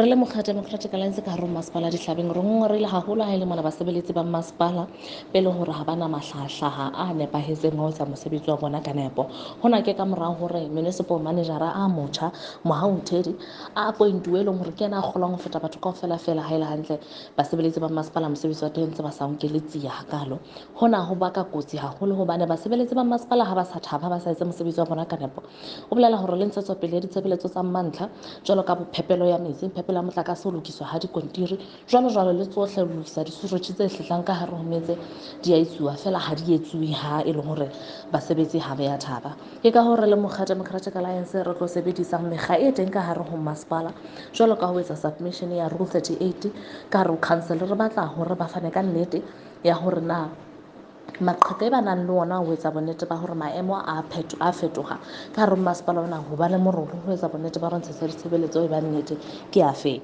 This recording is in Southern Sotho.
Re le mokga Democratic Alliance ka hare ho masepala Dihlabeng, re ngongoreile haholo ha e le mona basebeletsi ba masepala be leng hore ha ba na mahlahahlaha a nepahetseng ho etsa mosebetsi wa bona ka nepo. Hona ke ka mora hore municipal manager a motjha Mohau Nthedi a appointuwe, e leng hore ke yena a kgolang ho feta batho kaofela fela. Ha e le hantle, basebeletsi ba masepala mosebetsi wa teng ntse ba sa o nkele tsia hakalo. Hona ho baka kotsi haholo hobane basebeletsi ba masepala ha ba sa thaba, ba sa etse mosebetsi wa bona ka nepo, o bolela hore le ntshetsopele ya ditshebeletso tsa mantlha jwalo ka phepelo ya metsi, phepelo ya motlakase, ho lokiswa ha dikontiri, jwalo jwalo, le tsohle ho lokisa disuretjhe tse hlehlang ka hare ho metse, di a etsuwa fela ha di etsuwe ha e leng hore basebetsi ha ba ya thaba. Ke ka hore le mokga Democratic Alliance re tlo sebedisang mekga e teng ka hare ho masepala jwalo ka ho etsa submission ya Rule 38 ka hare ho council. Re batla hore ba fane ka nnete ya hore na maqheka e ba nang le ona ho etsa bonnete ba hore maemo a a fetoha ka hare ho masepala ona, ho ba le morolo ho etsa bonnete ba hore ntshetsa ditshebeletso e ba nnete ke afe.